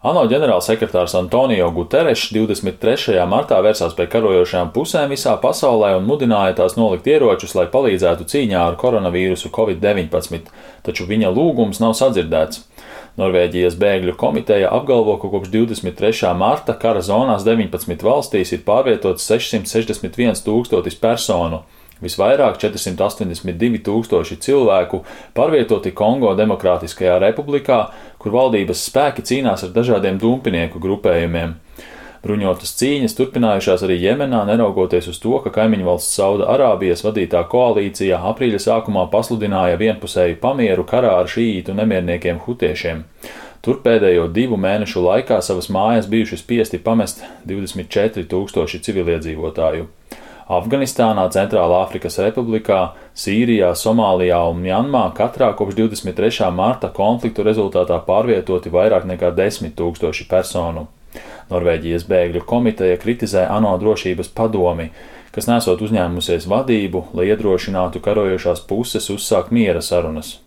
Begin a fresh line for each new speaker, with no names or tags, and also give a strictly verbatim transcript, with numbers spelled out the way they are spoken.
ANO ģenerālsekretārs Antonio Guterres divdesmit trešajā martā vērsās pie karojošajām pusēm visā pasaulē un mudināja tās nolikt ieročus, lai palīdzētu cīņā ar koronavīrusu covid deviņpadsmit, taču viņa lūgums nav sadzirdēts. Norvēģijas bēgļu komiteja apgalvo, ka kopš divdesmit trešā marta kara zonās deviņpadsmit valstīs ir pārvietots sešsimt sešdesmit viens tūkstotis personu. Visvairāk četrsimt astoņdesmit divi tūkstoši cilvēku pārvietoti Kongo Demokrātiskajā republikā, kur valdības spēki cīnās ar dažādiem dumpinieku grupējumiem. Bruņotas cīņas turpinājušās arī Jemenā, neraugoties uz to, ka kaimiņvalsts Sauda Arābijas vadītā koalīcija aprīļa sākumā pasludināja vienpusēju pamieru karā ar šīītu nemierniekiem hutiešiem. Tur pēdējo divu mēnešu laikā savas mājas bijuši spiesti pamest divdesmit četri tūkstoši civiliedzīvotāju. Afganistānā, Centrālā Afrikas Republikā, Sīrijā, Somālijā un Mjanmā katrā kopš divdesmit trešā marta konfliktu rezultātā pārvietoti vairāk nekā desmit tūkstoši personu. Norvēģijas bēgļu komiteja kritizē ANO drošības padomi, kas nesot uzņēmusies vadību, lai iedrošinātu karojošās puses uzsākt miera sarunas.